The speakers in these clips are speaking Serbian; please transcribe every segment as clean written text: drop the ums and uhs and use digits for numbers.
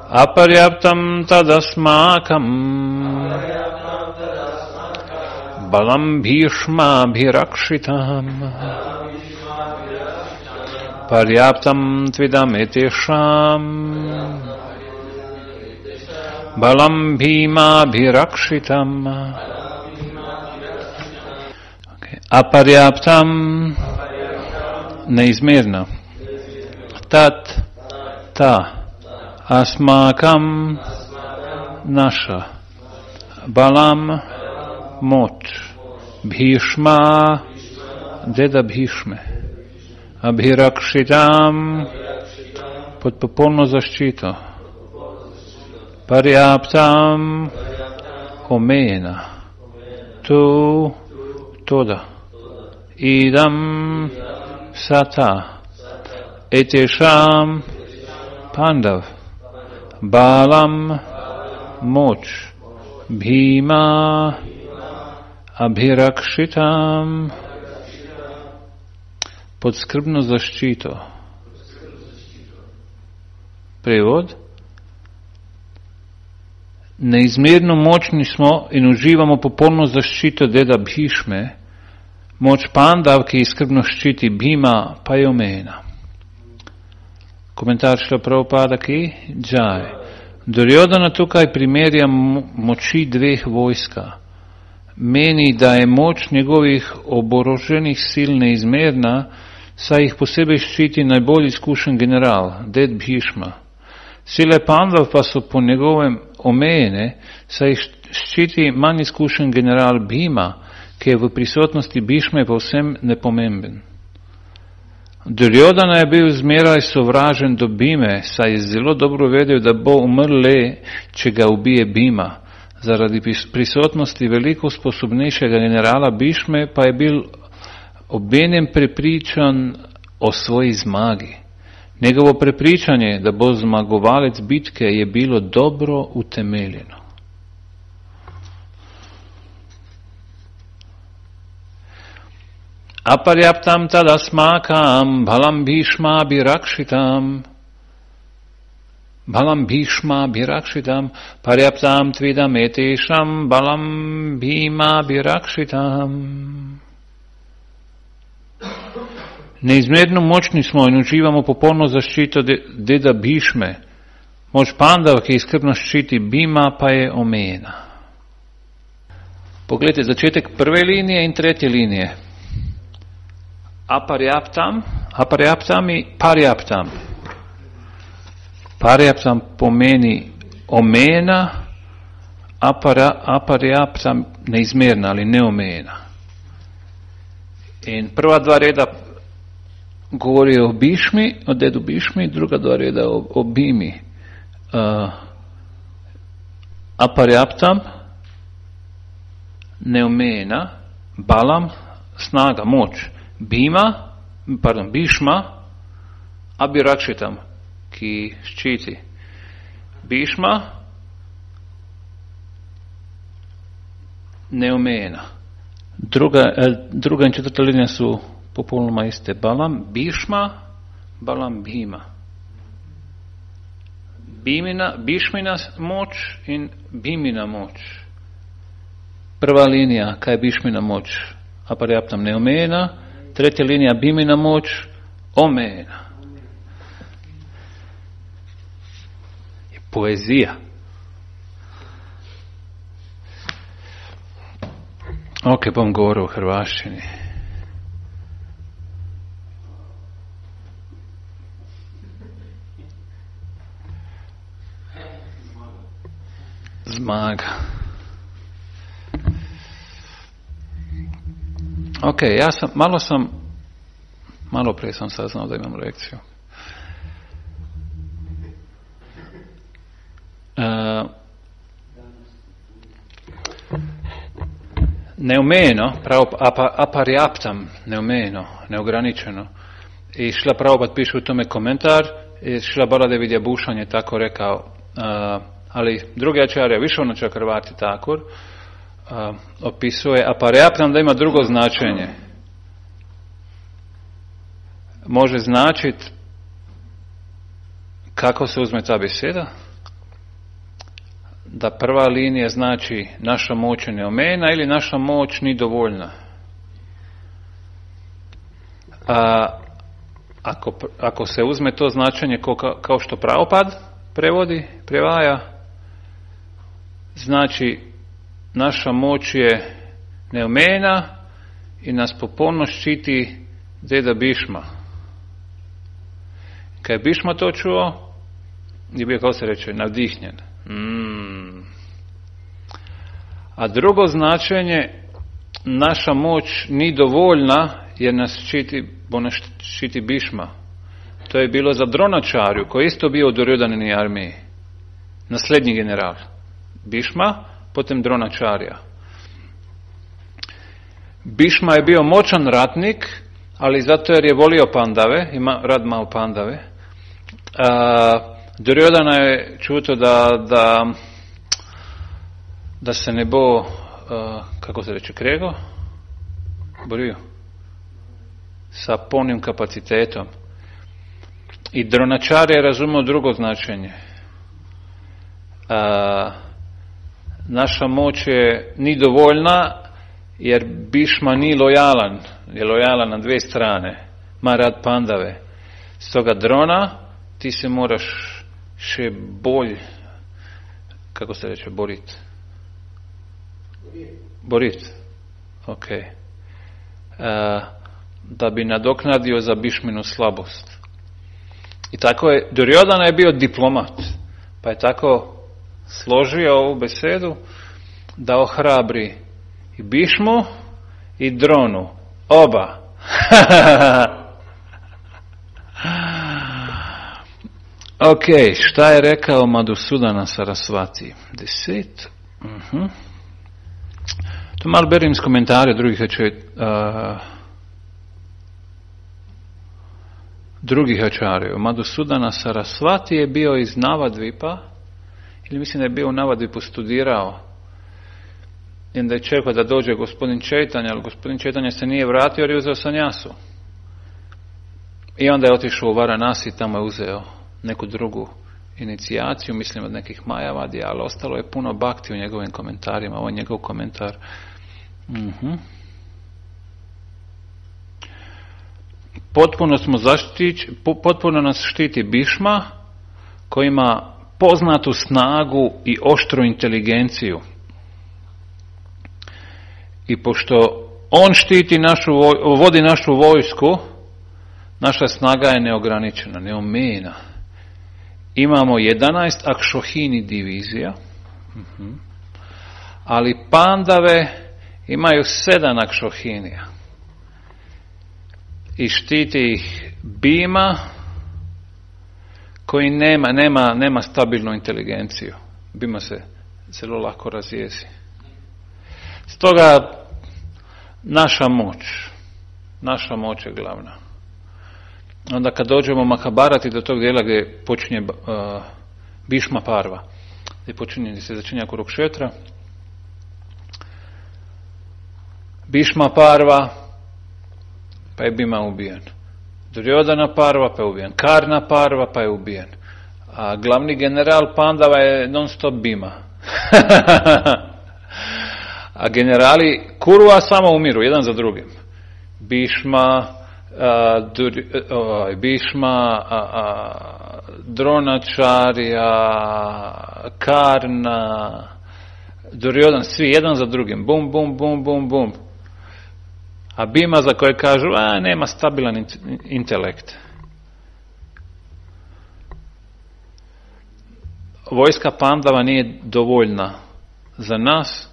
Aparyaptam tadasmakam balam bhishma bhirakshitam paryaptam tvidam etesham balam bhima bhirakshitam. Aparyaptam neizmjerno. Tat ta asmakam naša, balam moć, bhishma deda Bhishme, abhirakshitam pod popolno zaščito, paryaptam omejena, tu toda, idam sata, etesham Pandav, Balam, moć, Bhima, Abhirakshitam, pod skrbno zaštito. Prevod. Neizmerno močni smo in uživamo popolno zaščito deda Bhishme, moč Pandav, ki skrbno ščiti, Bhima pa je omejena. Komentar Šrila Prabhupada ki Jai. Duryodhana tukaj primerja moči dveh vojska. Meni, da je moč njegovih oboroženih sil neizmerna, saj jih posebej ščiti najbolj izkušen general, ded Bhishma. Sile Pandav pa so po njegovem omejene, saj jih ščiti manj izkušen general Bhima, ki je v prisotnosti Bhishme povsem nepomemben. Duryodhana je bil zmeraj sovražen do Bhime, saj je zelo dobro vedel, da bo umrl le, če ga ubije Bhima. Zaradi prisotnosti veliko sposobnejšega generala Bhishme pa je bil obenem prepričan o svoji zmagi. Njegovo prepričanje, da bo zmagovalec bitke, je bilo dobro utemeljeno. Aparyaptam tadasmakam balam bhishma bhirakshitam paryaptam tvidam etesham balam bhima bhirakshitam. Neizmerno močni smo in uživamo popolno zaščito deda Bhishme. Moč Pandav, ki skrbno ščiti, Bhima pa je omejena. Poglejte začetek prve linije in tretje linije. Aparyaptam in paryaptam. Paryaptam pomeni omejena, aparyaptam neizmerna ali neomejena. In prva dva reda govorijo o Bhishmi, o dedu Bhishmi, druga dva reda o Bhimi. Aparyaptam neomejena, balam snaga, moč. Bhishma, abhirakshitam, ki ščiti. Bhishma, neomejena. Druga in četrta linija su popolnoma iste. Balam, Bhishma, balam, Bhima. Bhishmina moč in Bhimina moč. Prva linija, kaj je Bhishmina moč? Aparyaptam neomejena. Tretja linija, Bhimina moč, omejena. Je poezija. Ok, bom govoril v hrvaščini. Zmaga. Ok, malo prije sam saznao da imam lekciju. Neomejeno, aparyaptam, neomejeno, neograničeno. I Šrila Prabhupada piše u tome komentar, i Šrila Baladev Bhushan je tako rekao, ali drugi ačarja, Višvana Čakravarti Thakur, opisuje aparyaptam da ima drugo značenje. Može značiti kako se uzme ta beseda, da prva linija znači naša moć je neomejena ili naša moć ni dovoljna. Ako se uzme to značenje kao što Prabhupada prevodi, prevaja, znači naša moć je neomejena i nas popolno štiti deda Bišma. Kad je Bišma to čuo, je bio, kao se reče, navdihnjen. A drugo značenje, naša moć ni dovoljna jer nas štiti Bišma. To je bilo za Dronačarju, koji je isto bio u Duryodanini armiji. Naslednji general. Bišma, potom Dronačarja. Bišma je bio moćan ratnik, ali zato jer je volio pandave, rad malo pandave. Duryodhana je čuto da se ne bo, kako se reče, krego? Borio. Sa polnim kapacitetom. I Dronačarja je razumio drugo značenje. Naša moć je ni dovoljna, jer Bišma ni lojalan, je lojalan na dvije strane, ma rad pandave. Stoga Drona, ti se moraš še bolj, kako se reče, borit. Ok. Da bi nadoknadio za Bišminu slabost. I tako je, Duryodhana je bio diplomat, pa je tako složio ovu besedu da ohrabri i Bišmu i Dronu. Oba. Ok, šta je rekao Madhusudana Sarasvati? 10. To malo berim iz komentare drugih ačarjev. Madhusudana Sarasvati je bio iz Navadvipa, ili mislim da je bio u Navadvipu studirao. I onda je čekao da dođe gospodin Čejtanja, ali gospodin Čejtanja se nije vratio jer je uzeo sanjasu. I onda je otišao u Varanasi i tamo je uzeo neku drugu inicijaciju, mislim od nekih Majavadija, ali ostalo je puno bhakti u njegovim komentarima. Ovo je njegov komentar. Potpuno nas štiti Bišma, koji ima poznatu snagu i oštru inteligenciju. I pošto on štiti vodi našu vojsku, naša snaga je neograničena, neomejena. Imamo 11 akšohini divizija, ali pandave imaju 7 akšohinija. I štiti ih Bima, koji nema stabilnu inteligenciju. Bima se zelo lako razjezi. Stoga naša moć je glavna. Onda kad dođemo Mahabharati do tog dijela gdje počinje Bhišma Parva, gdje se začinja Kurukšetra, Bhišma Parva, pa je Bima ubijen. Duryodhana Parva, pa je ubijen. Karna Parva, pa je ubijen. A glavni general Pandava je non stop Bima. A generali Kurua samo umiru, jedan za drugim. Bhišma, Dronačarja, Karna, Duryodhana, svi jedan za drugim. Bum, bum, bum, bum, bum. A Bima za koje kažu, nema stabilan intelekt. Vojska Pandava nije dovoljna za nas.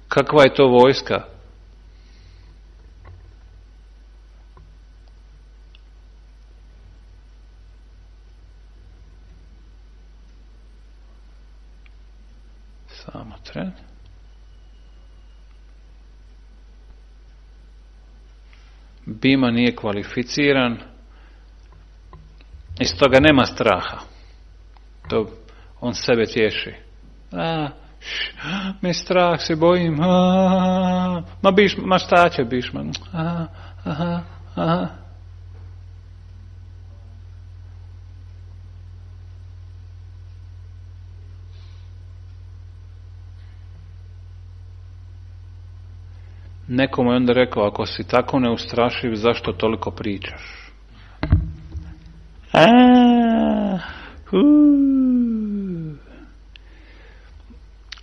Kakva je to vojska? Samo tren. Bima nije kvalificiran i stoga nema straha. To on sebe tješi. Mi strah, se bojim. Ma šta će Bhišma? Nekomu je onda rekao, ako si tako neustrašiv, zašto toliko pričaš?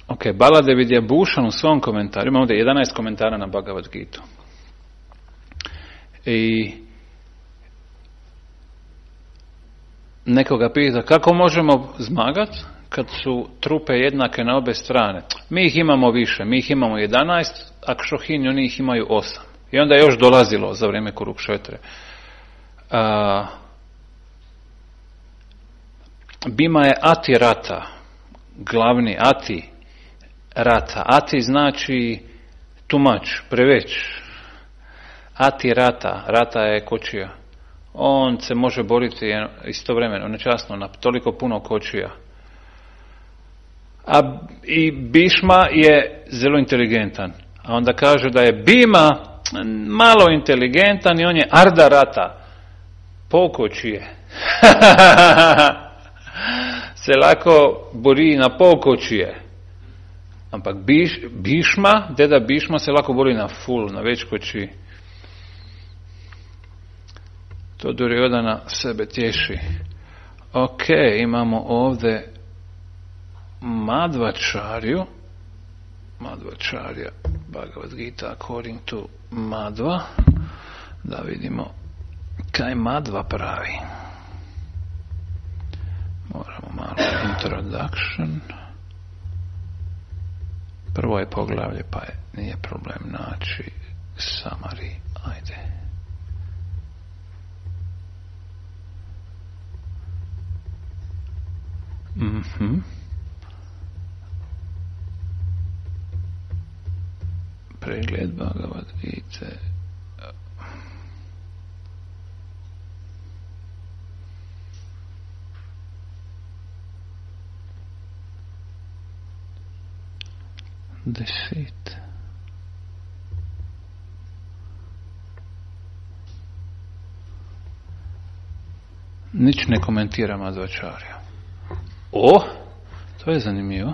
Ok, Baladev je Bhušan u svom komentaru, ima ovdje 11 komentara na Bhagavad Gitu. I nekoga pita, kako možemo zmagati kad su trupe jednake na obe strane? Mi ih imamo više, mi ih imamo 11, a Kšohini oni ih imaju 8. I onda je još dolazilo za vrijeme Kurukšetre. Bima je Ati Rata, glavni Ati Rata. Ati znači tumač, preveć. Ati Rata, Rata je kočija. On se može boriti istovremeno, nečasno, na toliko puno kočija. I Bhišma je zelo inteligentan. A onda kaže da je Bima malo inteligentan i on je Arda Rata, polkočije. Se lako bori na polkočije. Ampak Bhišma, deda Bhišma se lako bori na full, na več koči. To Duryodhana sebe tješi. Ok, imamo ovdje Madhvacharyu. Madhvacharya, Bhagavad Gita according to Madhva. Da vidimo kaj Madhva pravi. Moramo malo introduction. Prvo je poglavlje, pa nije problem naći summary. Ajde. Pregled Bhagavad Gita. Deceit. Nič ne komentira Madhvacharya. To je zanimljivo.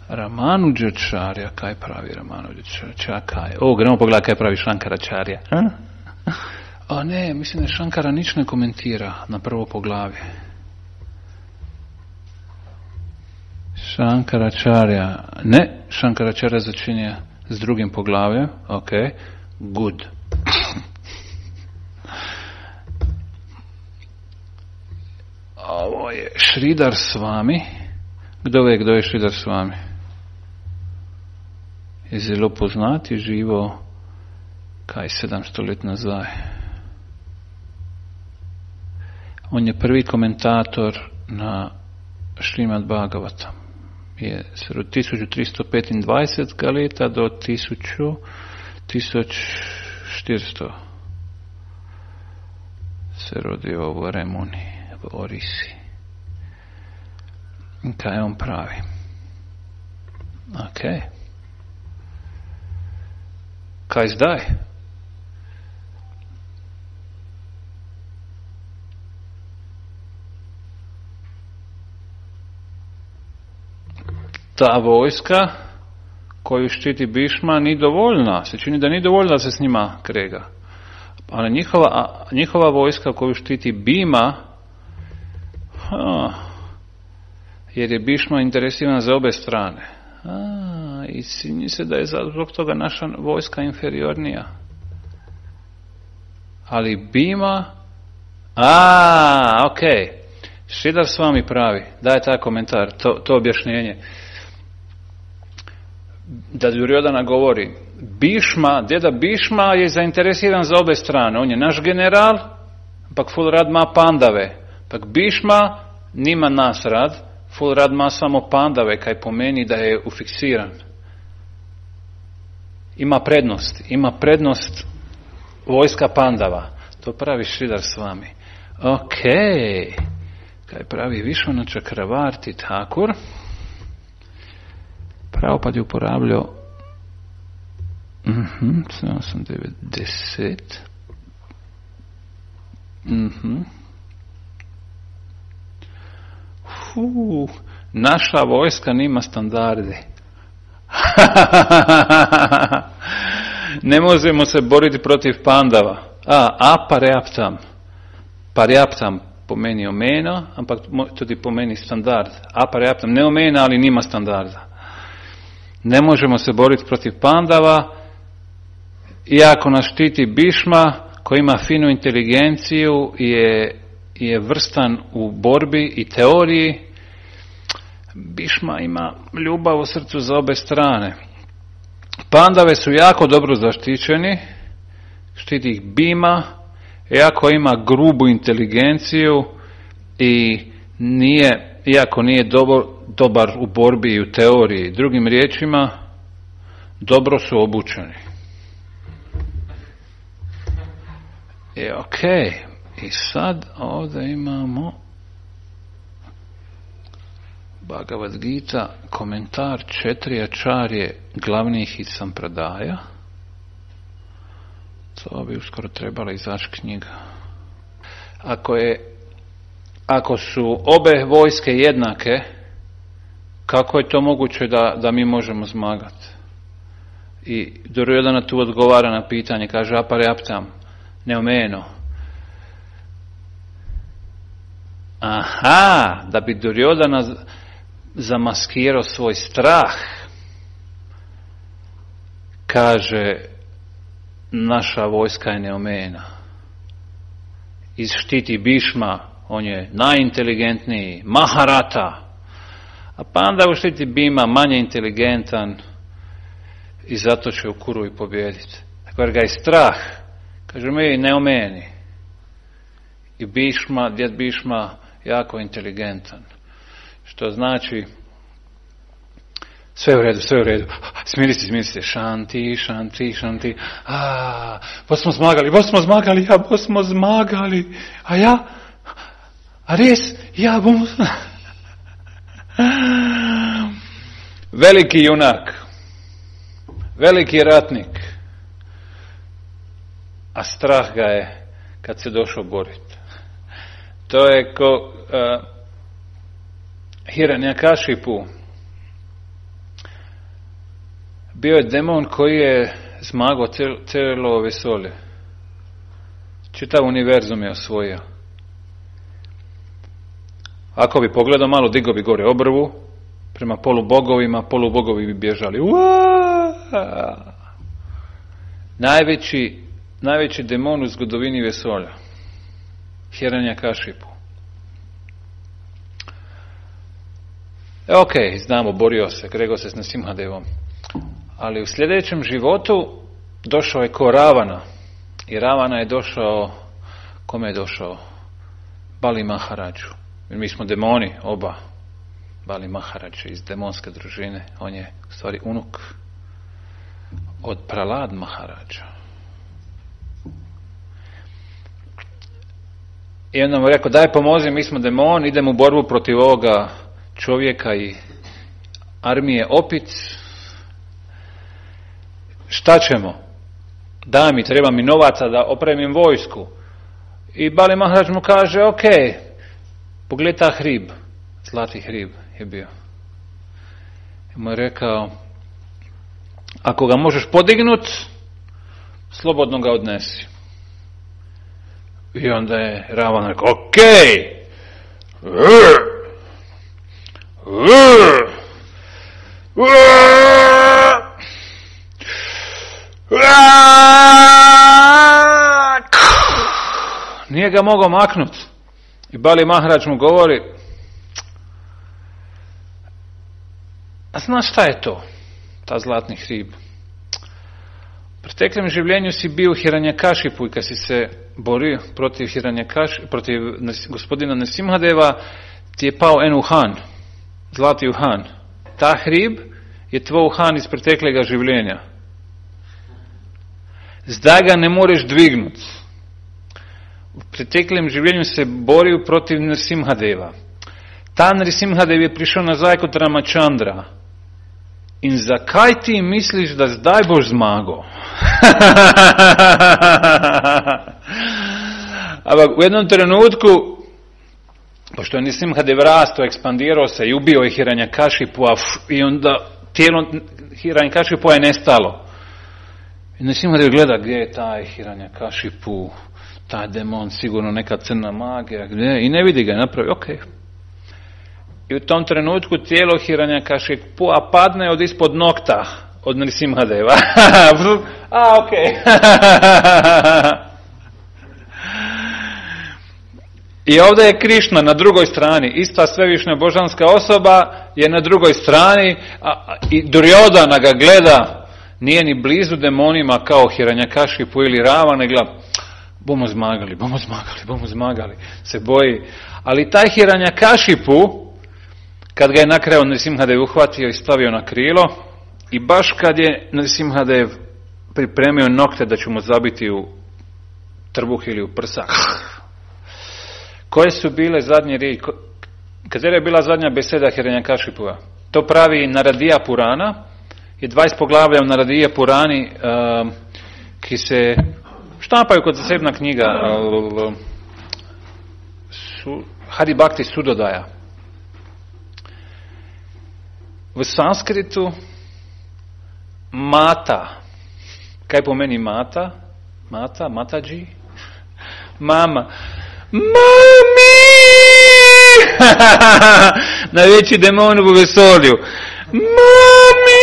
Ramanujacharya, kaj pravi Ramanujacharya? Gremo pogledati kaj pravi Šankaracharya. Ne, mislim da Šankara nič ne komentira na prvo poglavje. Šankaracharya, ne, Šankaracharya začinje s drugim poglavljem. Ok, good. Ovo je Sridhar Swami. Kdo ve, kdo je Sridhar Swami? Je zelo poznat, je živo 700 let nazaj. On je prvi komentator na Šrimad Bhagavatam. Je od 1325 leta do 1400 se rodio v Remuni, v Orisi. In kaj on pravi? Ok. Kaj zdaj? Ta vojska koju štiti Bhišma ni dovoljna. Se čini da ni dovoljna da se s njima krega. Ali njihova vojska koju štiti Bhima, jer je Bhišma interesiran za obe strane. I čini se da je zbog toga naša vojska inferiornija. Ali Bhima, ok. Sridhar Swami pravi, daje taj komentar, to objašnjenje. Da Duryodhana govori, deda Bhišma je zainteresiran za obe strane. On je naš general, pak ful rad ma pandave. Pak Bhišma nima nas rad, ful rad ma samo pandave, kaj pomeni da je ufiksiran. Ima prednost vojska pandava. To pravi Sridhar Swami. Ok. Kaj pravi Vishwanath Chakravarti Thakur. Prabhupada je uporabljal 790. Naša vojska nima standardi. Ne možemo se boriti protiv Pandava. Parjaptam pomeni omena, ampak tudi pomeni standard. Parjaptam ne omena, ali nima standarda. Ne možemo se boriti protiv Pandava, iako nas štiti Bhishma, koji ima finu inteligenciju, je vrstan u borbi i teoriji. Bhishma ima ljubav u srcu za obe strane. Pandave su jako dobro zaštićeni, štiti ih Bhima, iako ima grubu inteligenciju i iako nije dobar u borbi i u teoriji. Drugim riječima, dobro su obučeni. I sad ovdje imamo Bhagavad Gita, komentar 4 ačarje glavnih iz Sampradaja. To bi uskoro trebala izaći knjiga. Ako su obe vojske jednake, kako je to moguće da mi možemo zmagati? I Duryodhana tu odgovara na pitanje, kaže aparjaptam, neomeno. Da bi Duryodhana zamaskirao svoj strah, kaže naša vojska je neomena. Štiti Bhishma, on je najinteligentniji, Maharata, a Pandavu štiti Bhima, manje inteligentan i zato će u Kuru i pobijediti. Tako jer ga je strah, kaže mi neomeni. I djed Bhishma jako inteligentan. Što znači sve u redu. Smiri se. Šanti. Bo smo zmagali. A ja? A res? Ja bomo... Veliki junak. Veliki ratnik. A strah ga je kad se došao boriti. To je ko Hiranjakashipu. Bio je demon koji je zmagao cijelo vesolje. Čitav univerzum je osvojio. Ako bi pogledao malo, digao bi gore obrvu prema polubogovi bi bježali. Najveći demon u zgodovini vesolja. Hiranjakashipu. Znamo, borio se, kregao se s Nrsimhadevom. Ali u sljedećem životu došao je ko Ravana. I Ravana je došao, kome je došao? Bali Maharadžu. Mi smo demoni, oba. Bali Maharadža iz demonske družine. On je u stvari unuk od Pralad Maharadža. I onda mu rekao, daj pomozi, mi smo demoni, idemo u borbu protiv ovoga čovjeka i armije opic. Šta ćemo? Daj mi, treba mi novaca da opremim vojsku. I Bali Maharadž mu kaže, pogledaj ta hrib, zlati hrib je bio. I mu je rekao, ako ga možeš podignut, slobodno ga odnesi. I onda je Ravan rekao, nije ga mogao maknut. I Bali Maharadž mu govori, a znaš šta je to? Ta zlatni hrib. U preteklom življenju si bio u Hiranjakashipu i kad si se borio protiv gospodina Nrsimhadeva, ti je pao en uhan, zlati uhan. Ta hrib je tvoj uhan iz preteklega življenja. Zdaj ga ne moreš dvignut. U preteklem življenju se borio protiv Nrsimhadeva. Ta Nrsimhadev je prišel nazaj kot Ramachandra. In zakaj ti misliš, da zdaj boš zmagal? Ampak u jednom trenutku, pošto je Nrsimhadev rasto, ekspandirao se i ubio je Hiranjakashipu, i onda tijelo Hiranyakašipu je nestalo. I Nrisimhadev gleda gdje je taj Hiranyakašipu, taj demon, sigurno neka crna magija, gdje, i ne vidi ga, napravi, ok. I u tom trenutku tijelo Hiranyakashipua padne od ispod nokta od Nrisimhadeva. Ok. I ovdje je Krišna na drugoj strani, ista svevišnja božanska osoba je na drugoj strani, i Duryodhana ga gleda, nije ni blizu demonima kao Hiranyakashipu ili Ravana, gleda, bomo zmagali, se boji. Ali taj Hiranyakashipu, kad ga je na kraju Nrisimhadev uhvatio i stavio na krilo, i baš kad je Nrisimhadev pripremio nokte da će mu zabiti u trbuh ili u prsa, koje su bile zadnje riječi? Kada je bila zadnja beseda Hiranyakashipua? To pravi Naradija Purana, i 20 poglavlja u Naradija Purani, ki se štampaju kot zasebna knjiga, Hari Bhakti Sudodaja. V sanskritu mata, kaj pomeni mata? Mataji? Mama. Mami! Najveći demon u vesolju. Mami!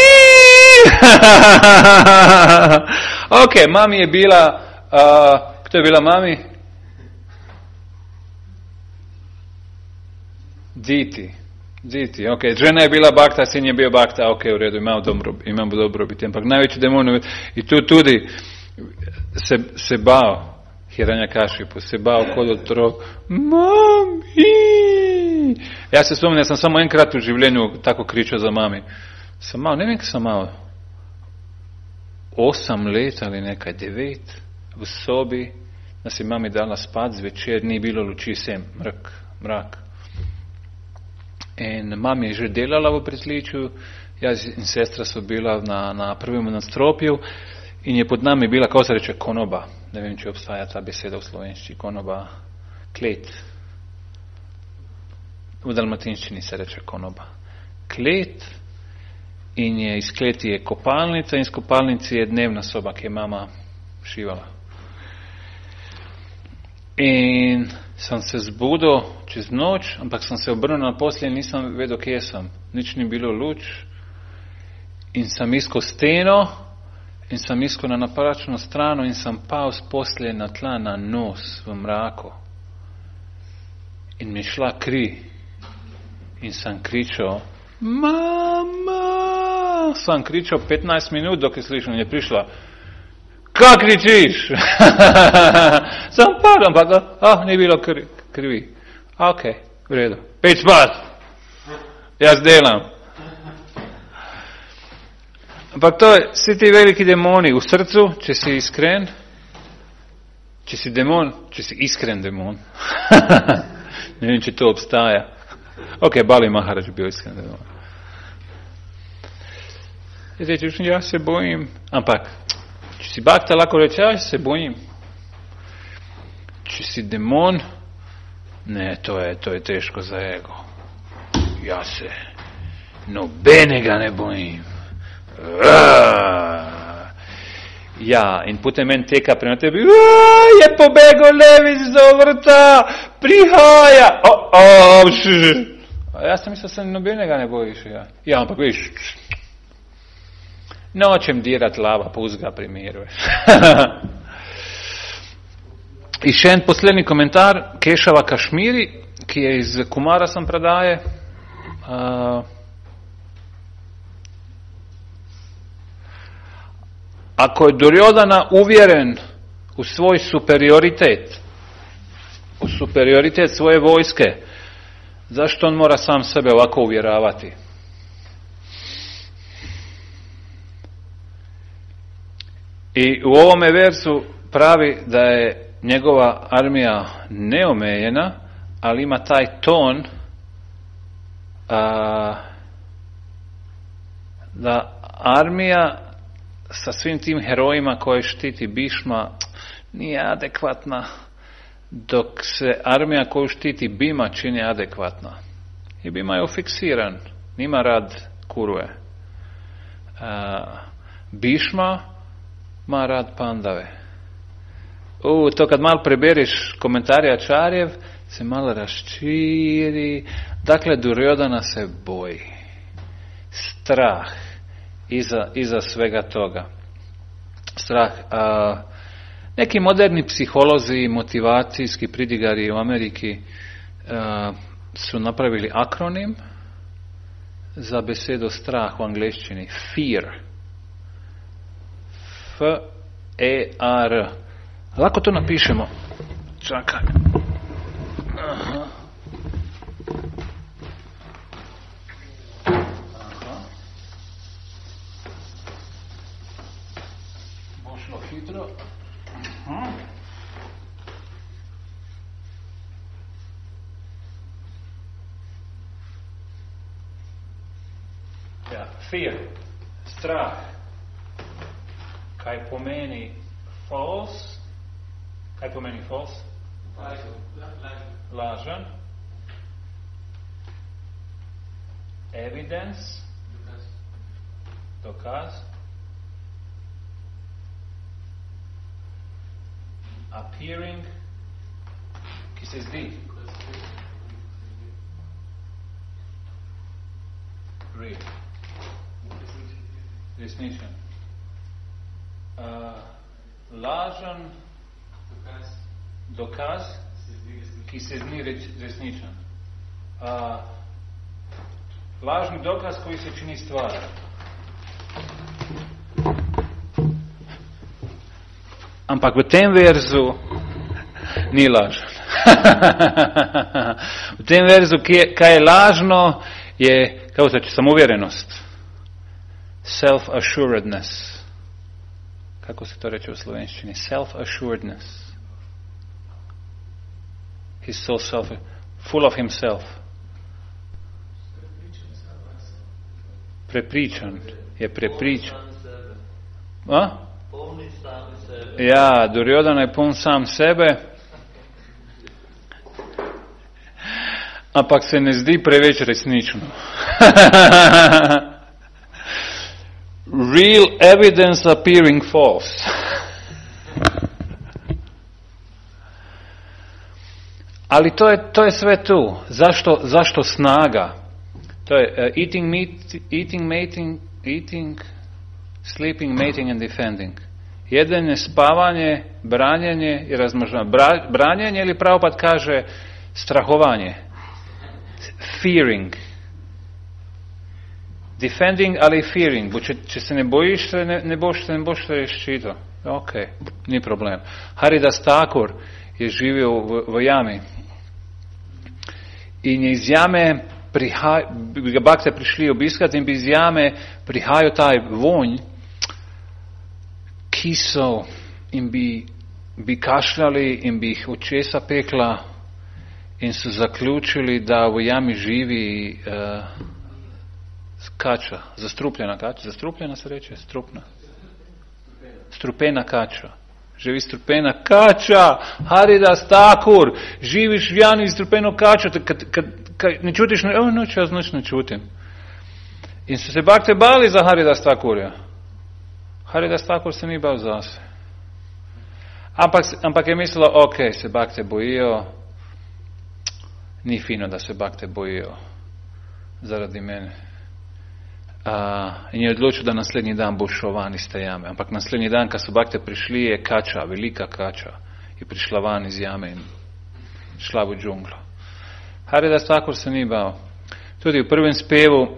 Ok, mami je bila, kto je bila mami? Diti, ok. Žena je bila bakta, sin je bio bakta, ok, u redu, imamo dobrobit. Ampak najveći demon, i tu tudi se bao Hiranyakashipu, se bao kod otrok. Mami! Ja se spomnim, ja sam samo enkrat u življenju tako kričao za mami. Ne vem, kaj sam malo. 8 let ali nekaj, 9 v sobi, da si mami dala spat zvečer, ni bilo luči, sem mrak. In mami je že delala v pritličju, jaz in sestra so bila na prvem nadstropju, in je pod nami bila, kako se reče, konoba. Ne vem, če obstaja ta beseda v slovenščini, konoba, klet. V dalmatinščini se reče konoba. Klet, in je iz kleti je kopalnica, in iz kopalnici je dnevna soba, ki je mama šivala. In sem se zbudil čez noč, ampak sem se obrnil na posteljo in nisem vedel, kje sem. Nič ni bilo luč. In sem iskal steno, in sem iskal na napačno strano, in sem pal z postelje na tla, na nos, v mraku. In mi šla kri. In sem kričal, mama! Sem kričal 15 minut, dok je slišal, in je prišla, kaj kričiš? Sem padal, ampak, ni bilo krivi. Ok, v redu. Peč spat. Jaz delam. Ampak to je, vsi ti veliki demoni v srcu, če si iskren, če si demon, če si iskren demon. Ne vem, če to obstaja. Ok, Bali Maharaj bil iskren demon. Ja se bojim. Ampak, če si bakta, lahko reče, ja se bojim. Če si demon, ne, to je teško za ego. Ja se nobenega ne bojim. Ja, in potem men teka prema tebi, je pobegel levic do vrta, prihaja. Jaz sem mislil, da se nobenega ne bojiš. Ja, ampak viš, nočem dirat lava, puzga primeruješ. I še en poslednji komentar, Kešava Kašmiri, ki je iz Kumara sam predaje. Ako je Duryodhana uvjeren u svoj superioritet, u superioritet svoje vojske, zašto on mora sam sebe ovako uvjeravati? I u ovome versu pravi da je njegova armija neomejena, ali ima taj ton da armija sa svim tim herojima koje štiti Bišma nije adekvatna, dok se armija koju štiti Bima čini adekvatna. I Bima je ufiksiran, nima rad kuruje. Bhishma ima rad pandave. To kad malo preberiš komentare Ačarjev, se malo raščiri. Dakle, Duryodhana se boji. Strah iza svega toga. Strah. Neki moderni psiholozi, motivacijski pridigari u Ameriki su napravili akronim za besedo strah u angleščini. Fear. F-E-A-R. Lako to napišemo. Čakaj. Aha. Bo šlo hitro. Aha. Ja, fear. Strah. Kaj pomeni false? Kaj pomeni false? Lažan. Evidence. Dokaz. Appearing. Ki se zdi. Real. Resničen. Lažan. Dokaz, ki se zdi resničen. Lažni dokaz koji se čini stvar. Ampak v tem verzu ni lažen. V tem verzu, kaj je lažno, je, kako se reče, samouvjerenost. Self-assuredness. Kako se to reče v slovenščini? Self-assuredness. He's so full of himself. Prepričan. Je prepričan. Ja, Duryodhana je poln sam sebe. Ampak se ne zdi preveč resnično. Real evidence appearing false. Ali to je sve tu. Zašto snaga? To je eating, sleeping, mating and defending. Jedenje, spavanje, branjenje i razmnožavanje. Branjenje ili Prabhupada kaže strahovanje. Fearing. Defending, ali fearing. Če se ne bojiš, ne boš se reščito. Ok, ni problem. Haridas Thakur je živio v jami. In je iz jame bi ga bakte prišli obiskati in bi iz jame prihajal taj vonj kisel in bi kašljali in bi jih očesa pekla in so zaključili, da v jami živi kača, zastrupljena kača. Zastrupljena se reče? Strupna. Strupena kača. Živi strupena kača, Haridas Thakur, živiš v jami strupeno kačo, kad ne čutiš, jaz noč ne čutim. In so se bakte bali za Haridas Thakurja. Haridas Thakur se ni bal zase. Ampak je mislila, ok, se bakte bojijo, ni fino, da se bakte bojijo zaradi mene. In je odločil, da naslednji dan bo šel van iz te jame. Ampak naslednji dan, kad so bakte prišli, je kača, velika kača, je prišla van iz jame in šla v džunglo. Haridas Thakur se ni bal. Tudi v prvem spevu,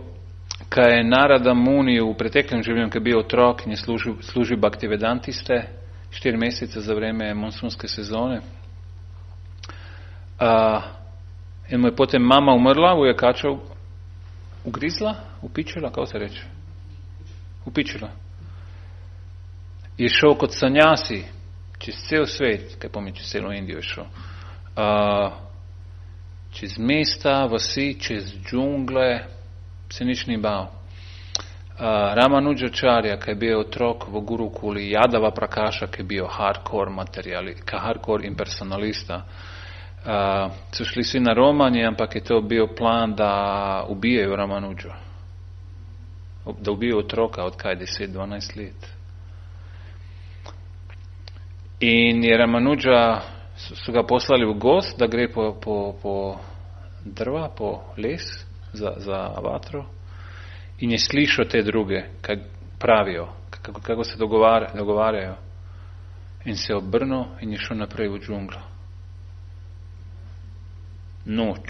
kaj je Narada Muni v preteklem življenju, ki je bil otrok in je služil Bhaktivedantiste 4 mesece za vreme monsunske sezone. In mu je potem mama umrla, mu je kača ugrizla, upičila, kako se reče? Upičila. Je šel kot sanjasi čez cel svet, kaj pomeni, čez celo Indijo je šel. Čez mesta, vasi, čez džungle, se nič ni bal. Ramanujacharya, ki je bil otrok v Gurukuli, Yadava Prakasha, ki je bil hardcore impersonalista, so šli svi na romanje, ampak je to bil plan, da ubijejo Ramanujo. da ubije otroka od kaj 10-12 let. In je Ramanuja, so ga poslali v gost, da gre po drva, po les za vatro, in je slišal te druge, kaj pravijo, kako se dogovarjajo. In se je obrnil in je šel naprej v džunglo. Noč,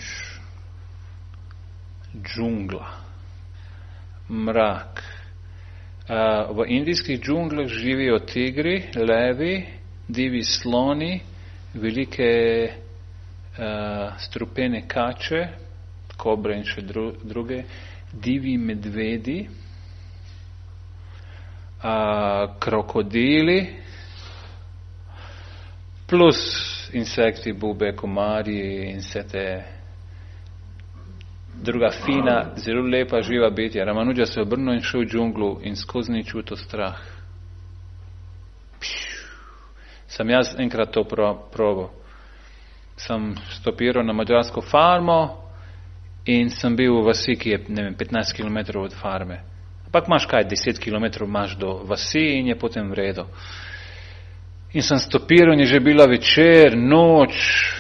džungla, mrak. V indijskih džunglah živijo tigri, levi, divi sloni, velike strupene kače, kobre in še druge, divi medvedi, krokodili, plus insekti, bube, komarji in vse te druga fina, zelo lepa živa bitja. Ramanuja se je obrnil in šel v džunglu in skozi ni čutil strah. Sem jaz enkrat to probal. Sem stopiral na madžarsko farmo in sem bil v vasi, ki je 15 km od farme. Ampak imaš kaj, 10 km imaš do vasi in je potem v redu. In sem stopiral in je že bila večer, noč,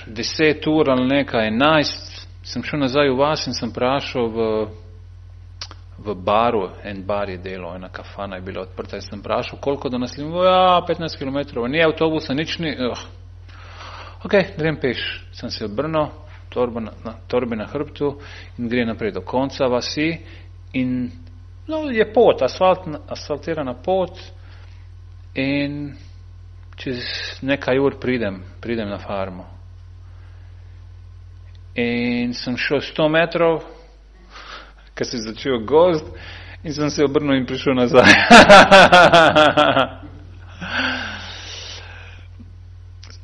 10 ur ali nekaj, 11. Sem šel nazaj v vas in sem prašal v baru, en bar je delal, ena kafana je bila odprta in sem prašal, koliko do naslednjega, 15 km, ni avtobusa, nič ni, ok, grem peš. Sem se obrnil, torbe na hrbtu in gre naprej do konca vasi in je pot, asfaltirana pot in čez nekaj ur pridem na farmo. In sem šel 100 metrov, ker se je začel gozd in sem se obrnil in prišel nazaj.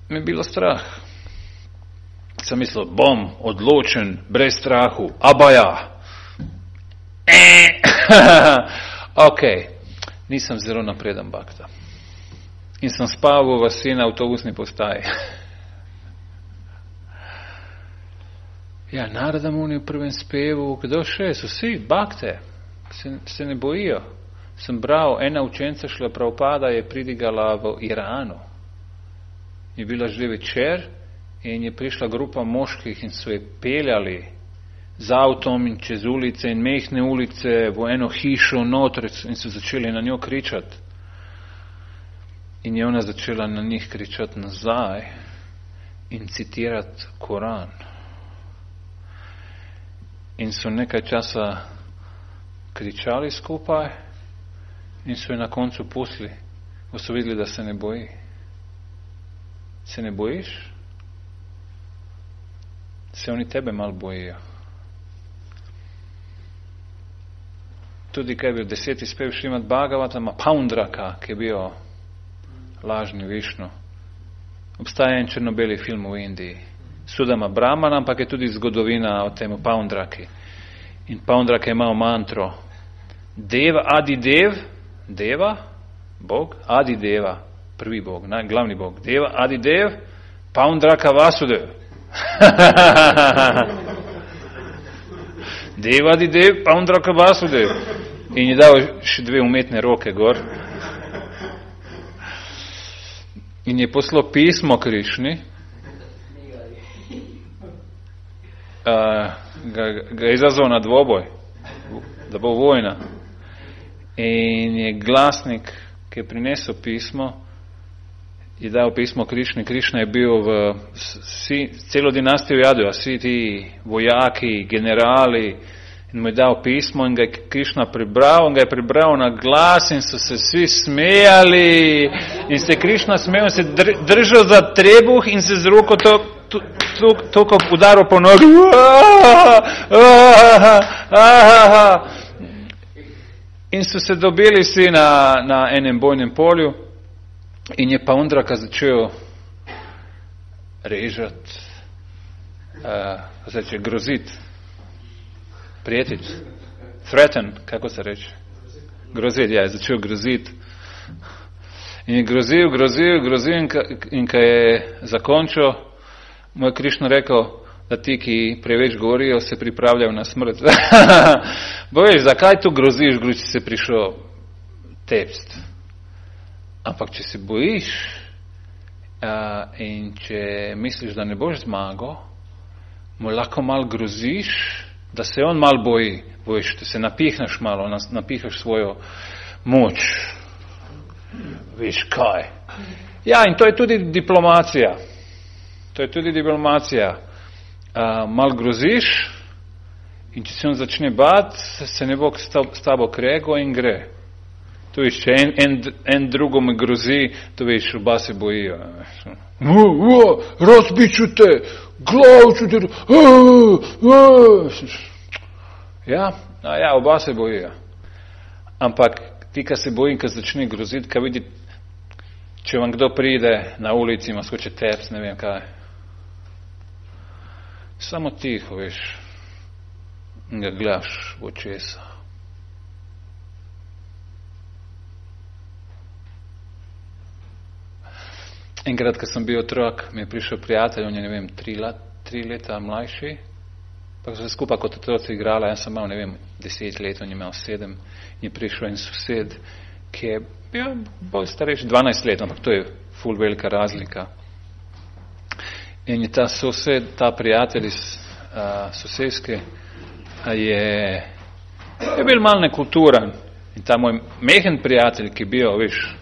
Mi je bilo strah. Sem mislil, bom odločen, brez strahu, abaja. Ok, nisem zelo napreden bakta. In sem spal v vasi na avtobusni postaji. Ja, Narada Muni v prvem spevu, kdo še? So vsi bakte, se ne bojijo. Sem bral, ena učenca Šrila Prabhupada je pridigala v Iranu. Je bila že večer in je prišla grupa moških in so je peljali z avtom in čez ulice in mehne ulice v eno hišo noter in so začeli na njo kričati. In je ona začela na njih kričati nazaj in citirati Koran. In so nekaj časa kričali skupaj in so je na koncu pustili, ko so videli, da se ne boji. Se ne bojiš? Se oni tebe malo bojijo. Tudi kaj je bil 10. spev Šrimad Bhagavatama, Paundraka, ki je bil lažni Višnu. Obstaja en črno-beli film v Indiji. Sudama Brahmana, ampak je tudi zgodovina o temu Paundraki. In Paundraka je imel mantro Deva, Adidev, Deva, Bog, Adideva, prvi Bog, glavni Bog. Deva, Adidev, Paundraka Vasudev. Deva, Adidev, Paundraka Vasudev. In je dal še 2 umetne roke gor. In je poslal pismo Krišni, ga je izazval na dvoboj, da bo vojna. In je glasnik, ki je prinesel pismo, je dal pismo Krišni. Krišna je bil celo dinastijo Jadua, vsi ti vojaki, generali, in mu je dal pismo in ga je Krišna prebral, in ga je prebral na glas in so se vsi smejali in se Krišna smejal, se držal za trebuh in se z roko toliko udaril po nogi. In so se dobili vsi na enem bojnem polju in je Paundraka začel režati, groziti, prijetiti, threaten, kako se reče? Groziti, ja, je začel groziti. In je grozil in ko je zakončil, mu je Krišna rekel, da ti, ki preveč govorijo, se pripravljajo na smrt. Bo veš, zakaj tu groziš, če si prišel tepst? Ampak, če se bojiš in če misliš, da ne boš zmagal, mu lahko malo groziš, da se on malo boji. Bojiš, da se napihneš malo, napihneš svojo moč. Veš kaj? Ja, in to je tudi diplomacija. Malo groziš in če se on začne bati, se ne bo s tabo krego in gre. To veš, če en drugom grozi, to veš, oba se bojijo. Razbiću te, glavu ću te, Ja, oba se bojijo. Ampak ti, kad se bojim, kad začne groziti, kad vidi, če vam kdo pride na ulici, ima skoče teps, ne vem kaj. Samo tiho, veš, ga gledaš v očesa. Enkrat, kad sem bil otrok, mi je prišel prijatelj, on je, ne vem, 3 leta mlajši, pa so se skupaj kot otroci igrala, jaz sem imel, ne vem, 10 let, on je imel 7, in je prišel en sosed, ki je bil bolj starejši, 12 let, ampak to je ful velika razlika. In je ta sosed, ta prijatelj iz sosedske, je bil malo nekulturan. In ta moj mehen prijatelj, ki je bil, veš,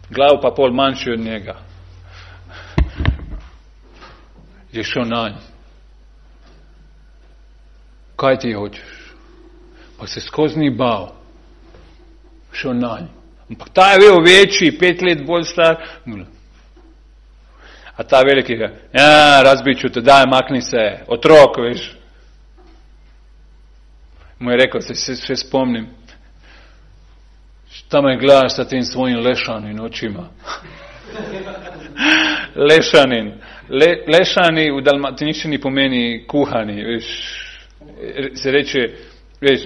glav pa pol manjši od njega, je šel nanj. Kaj ti hočeš? Pa se skozi ni bal. Šel nanj. Ampak ta je bil večji, 5 let bolj star. A ta veliki ga, razbiću te, daj, makni se, otrok, veš. Mu je rekel, se še spomnim, šta me gledaš sa tim svojim lešanim očima. Lešani v dalmatinščini pomeni kuhani, veš, se reče, veš,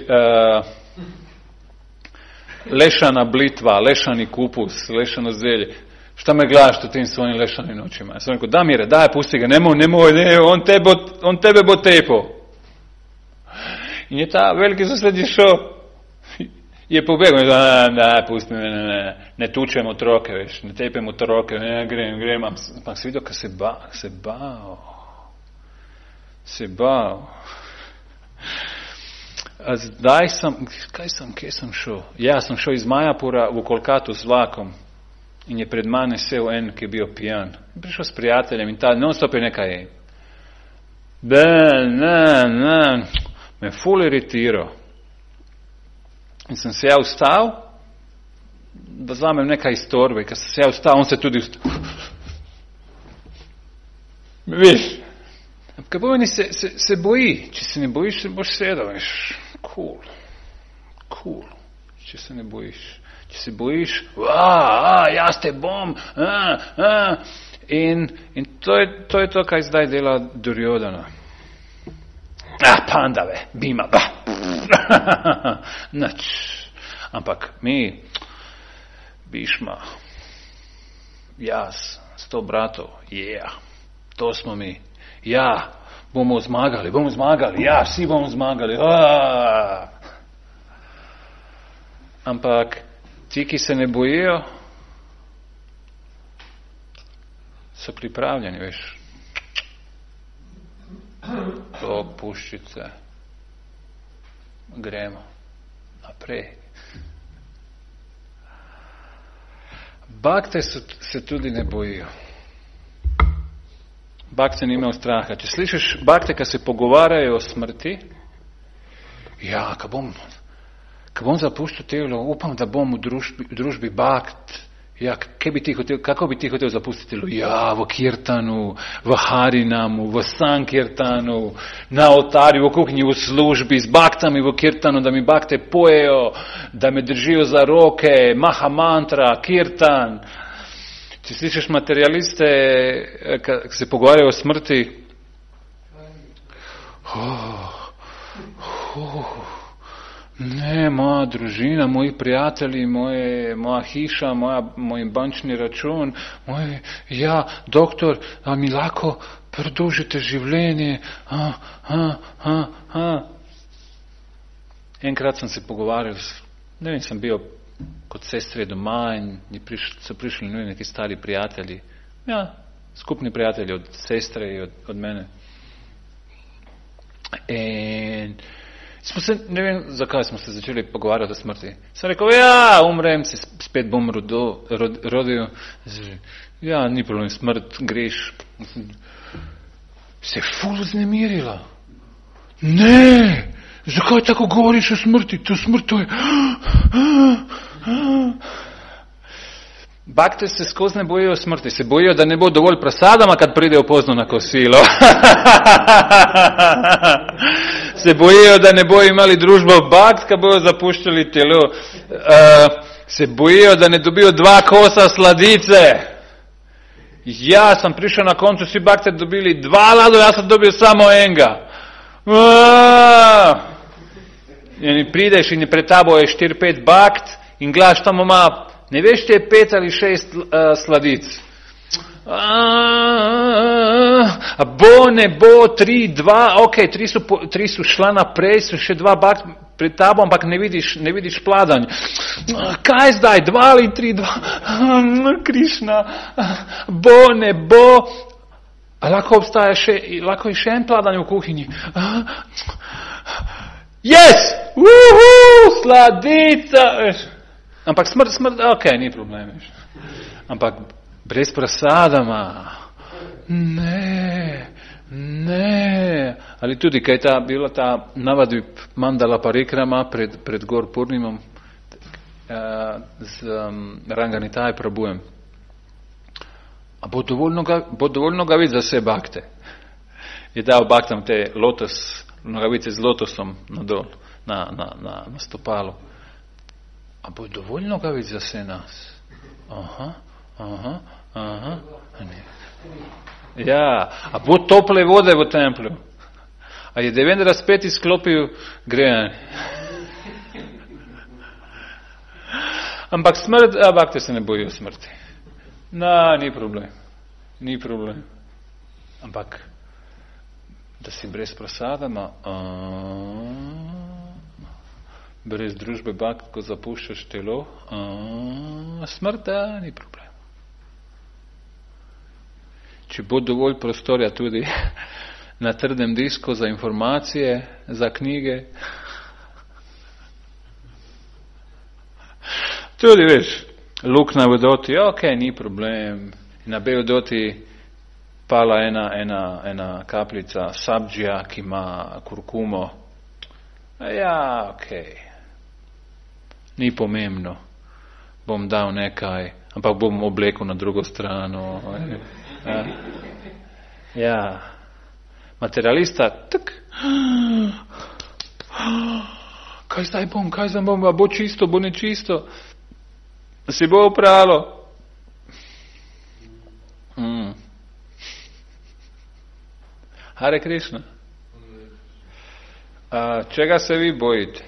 lešana blitva, lešani kupus, lešano zelje. Šta me gledaš sa tim svojim lešanim očima? Ja sam rekel, da mire, daj, pusti ga, nemoj, on tebe bo tepo. In je ta veliki sosed je šel, je pobegel, pusti me, ne tučem otroke, veš, ne tepem otroke, grem, ampak si videl, ka se bal. A zdaj kje sem šel? Ja, sem šel iz Majapura v Kolkatu z vlakom in je pred mane sel en, ki je bil pijan. Prišel s prijateljem in ta non-stop je nekaj me ful iritiral. In sem se ja ustal, da vzamem nekaj iz torbe. Kad sem se ja ustal, on se tudi ustal. Viš? Kaj pomeni se boji. Če se ne bojiš, se boš sedel. Veš, cool. Če se ne bojiš. Če se bojiš, jaz te bom. In to je to, kaj zdaj dela Duryodhana. Pandave, Bhima, nič. Ampak mi, Bhishma, jaz, 100 bratov, to smo mi. Ja, bomo zmagali, ja, vsi bomo zmagali. Ampak ti, ki se ne bojijo, so pripravljeni, veš. Tok, puščice. Gremo naprej. Bakte se tudi ne bojijo. Bakte ni imel straha. Če slišiš bakte, ki se pogovarjajo o smrti, ko bom zapuščal telo, upam, da bom v družbi bakt. Ja, kako bi ti hotel zapustiti telo? Ja, v kirtanu, v harinamu, v sankirtanu, na oltarju, v kuhinji, v službi, z baktami v kirtanu, da mi bakte pojejo, da me držijo za roke, maha mantra, kirtan. Če slišiš materialiste, ki se pogovarjajo o smrti, ne, moja družina, moji prijatelji, moja hiša, moj bančni račun, doktor, a mi lahko produžite življenje, Enkrat sam se pogovarjal, ne vem, sam bio kod sestre doma in so prišli neki stari prijatelji, skupni prijatelji od sestre i od mene. In smo se, ne vem zakaj smo se začeli pogovarjati o smrti. Sam rekel, umrem, se spet bom rodil. Ni problem, smrt, greš. Se je ful vznemirila. Ne, zakaj tako govoriš o smrti? To smrt, to je... Bakte se skozi ne bojijo smrti, se bojijo, da ne bo dovolj prasadama, kad pridejo pozno na kosilo. Se bojijo, da ne bojo imali družbo bakt, kad bojo zapuščali telo. Se bojijo, da ne dobijo 2 kosa sladice. Ja sam prišel na koncu, svi bakte dobili 2 lado, ja sam dobio samo enga. In prideš in pred tabo je 4-5 bakt in gledaš tamo ima, ne veš če je 5 ali 6 sladic. Bo, ne bo, 3, 2, ok, 3 su šla naprej, so še 2 bakt pred tabo, ampak ne vidiš pladanj. Kaj zdaj, 2 ali 3, 2, Krišna, bo, ne bo, a lahko obstaja lahko je še en pladanj v kuhinji. Yes! Sladica! Ampak smrt, ok, ni problem. Ampak brez prasadama. Ne. Ali tudi, kaj je bila ta navadbi mandala parikrama pred Gor Purnimom z Ranganitaj Prabhujem. A bo dovolj nogavic za vse bakte. Je dal baktam te nogavice z lotosom nadol, na stopalo. A bo dovolj nogavic za vse nas? Aha. Ne. Ja, a bo tople vode v templju? A je Devendra spet izklopil grejanje? Ampak smrt, bakte se ne bojijo smrti. Ni problem. Ampak, da si brez prasadama, brez družbe bakt, ko zapuščaš telo, smrt, ni problem. Če bo dovolj prostorja tudi na trdem disku za informacije, za knjige. Tudi veš, luk na vodoti, ok, ni problem. Na vodoti pala ena kapljica sabdžija, ki ima kurkumo. Ja, ok. Ni pomembno. Bom dal nekaj, ampak bom oblekel na drugo strano. Ja. Materialista, tak. Kaj zdaj bom, bo čisto, bo nečisto. Si bo opralo. Hare Krishna. Čega se vi bojite?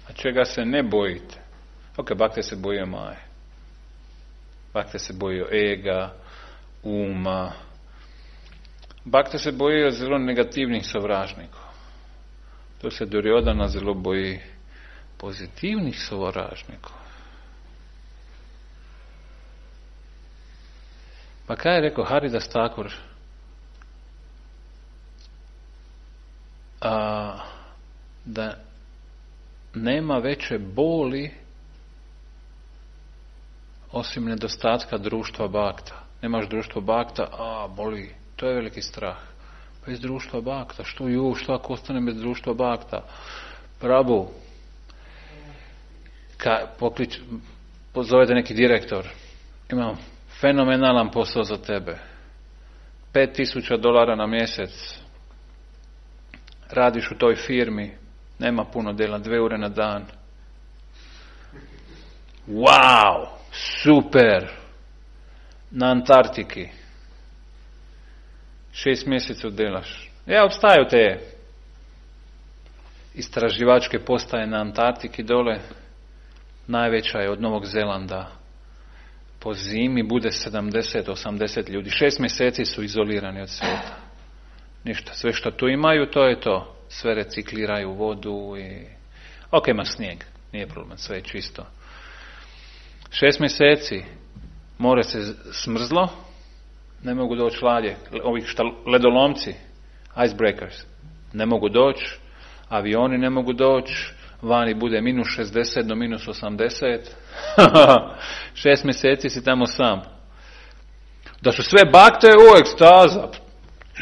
A čega se ne bojite? Ok, bakte se bojijo maje. Bakte se bojijo ega, uma. Bakte se bojijo zelo negativnih sovražnikov. To se Duryodhana zelo boji pozitivnih sovražnikov. Pa kaj je rekel Haridas Thakur? Da nema veće boli osim nedostatka društva bakta. Nemaš društvo bakta, boli. To je veliki strah. Bez društva bakta, što ako ostanem bez društva bakta? Prabhu, pozovete neki direktor, imam fenomenalan posao za tebe. $5,000 na mjesec. Radiš u toj firmi, nema puno dela, 2 ure na dan. Wow, super! Na Antarktiki. 6 mjesecev delaš. Obstaju te istraživačke postaje na Antarktiki dole. Najveća je od Novog Zelanda. Po zimi bude 70-80 ljudi. 6 mjeseci su izolirani od svijeta. Ništa, sve što tu imaju, to je to. sve recikliraju vodu i... Ok, ima snijeg, nije problem, sve je čisto. 6 mjeseci more se smrzlo, ne mogu doći ladje, ovi ledolomci, icebreakers, ne mogu doći, avioni ne mogu doći, vani bude minus 60 do minus 80, 6 mjeseci si tamo sam. Da su sve bakte, ekstaza,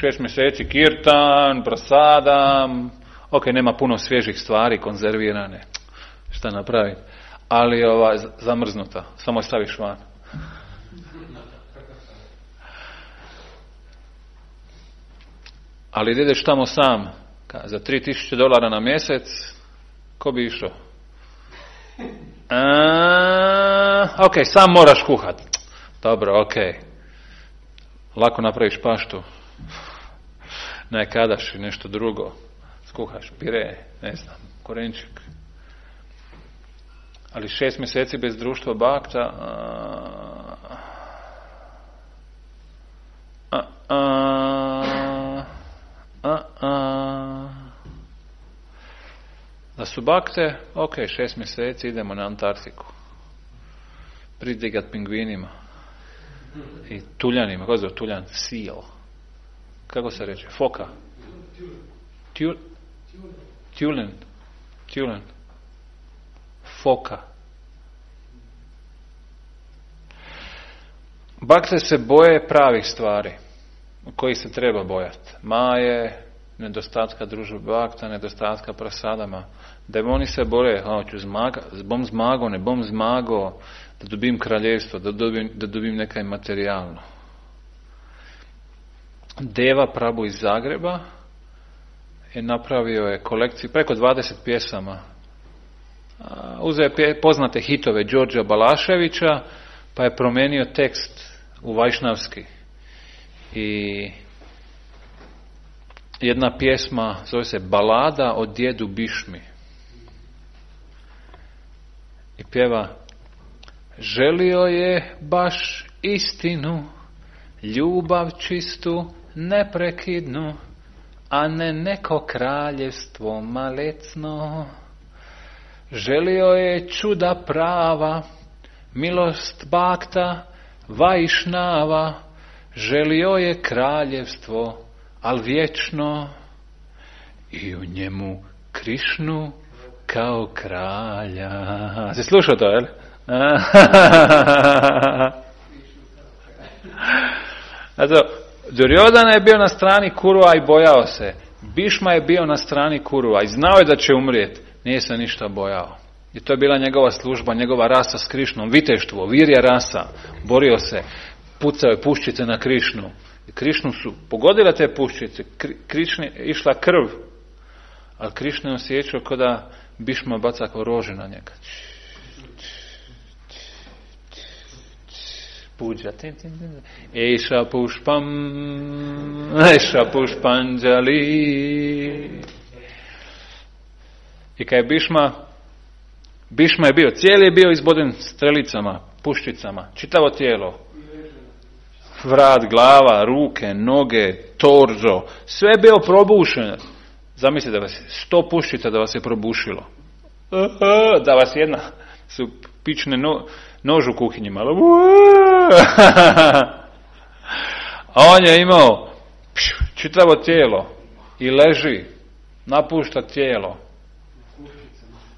6 mjeseci kirtan, prasadam, ok, nema puno svježih stvari, konzervirane, šta napraviti, ali zamrznuta, samo je staviš van. Ali ideš tamo sam, za $3,000 na mjesec, ko bi išao? Ok, sam moraš kuhat. Dobro, ok. Lako napraviš paštu. Nekadaš i nešto drugo. Skuhaš pire, ne znam, korenčik. Ali 6 mjeseci bez društva bakta... Da su bakte, ok, 6 mjeseci idemo na Antarktiku. Pridigat pingvinima. I tuljanima, kako zove tuljan? Seal. Kako se reče? Foka. Tulen. Foka. Bakte se boje pravih stvari, koji se treba bojati. Maje, nedostatka družbe bakta, nedostatka prasadama. Demoni se bore, hoću bom zmago, ne bom zmago, da dobim kraljevstvo, da dobim nekaj materijalno. Deva Prabhu iz Zagreba je napravio je kolekciju, preko 20 pjesama. Uzeo je poznate hitove Đorđa Balaševića, pa je promijenio tekst u vajšnavski. I jedna pjesma zove se Balada o djedu Bišmi. I pjeva: želio je baš istinu, ljubav čistu, neprekidnu, a ne neko kraljevstvo malecno. Želio je čuda prava, milost bakta, vajšnava. Želio je kraljevstvo, al vječno, i u njemu Krišnu kao kralja. Si slušao to, jel? Zato, Duryodhana je bio na strani Kurua i bojao se. Bišma je bio na strani Kurua i znao je da će umrijeti. Nije se ništa bojao. I to je bila njegova služba, njegova rasa s Krišnom, viteštvo, virja rasa. Borio se, pucao je puščice na Krišnu. I Krišnu su pogodile te puščice, Krišni išla krv, ali Krišna je osjećao kao da Bišma baca kao rože na njega. Puđa. Eša pušpanđali. I kad je Bišma je bio, cijeli je bio izboden strelicama, puščicama, čitavo tijelo. Vrat, glava, ruke, noge, torzo, sve je bio probušeno. Zamislite da vas je 100 puščica da vas je probušilo. Da vas jedna su pične nož u kuhinji malo. A on je imao čitavo tijelo i leži, napušta tijelo.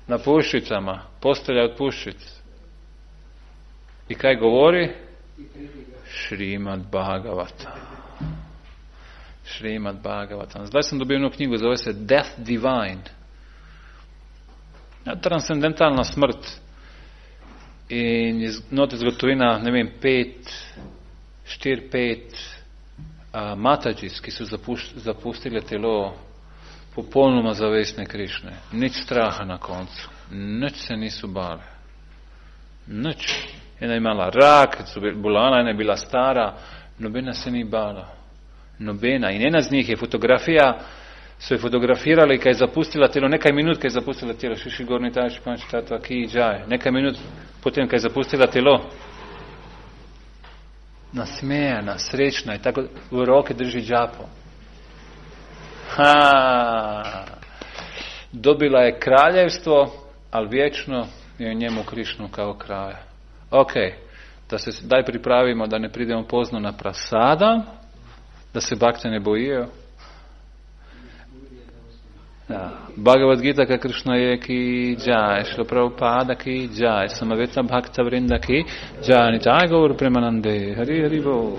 Na puščicama, postelja od puščic. I kaj govori? Šrimad Bhagavatam. Zdaj sam dobio jednu knjigu, zove se Death Divine. Transcendentalna smrt. In note zgodovina, ne vem, 4-5 Matađis, ki so zapustili telo popolnoma zavestne Krišne. Nič straha na koncu. Nič se nisu bale. Nič. Ena je imala rak, bolana, ena je bila stara, nobena se ni bala. Nobena. In ena z njih je fotografija, so je fotografirali, kaj je zapustila telo, nekaj minut, kaj je zapustila telo, šiši gorni tači, panči, tato, ki, džaj. Nekaj minut potem, kaj je zapustila telo. Nasmejana, srečna in tako v roke drži džapo. dobila je kraljevstvo, ali vječno je njemu Krišnu kao kraja. Ok, da se daj pripravimo da ne pridemo pozno na prasada, da se bakte ne bojijo. Ja. Bhagavad Gita ka Krishna je ki jai, Srila Prabhupada ki jai, Samaveta Bhakta Vrinda ki jai, Nitai Gaur Premanande, Hari Hari Bol.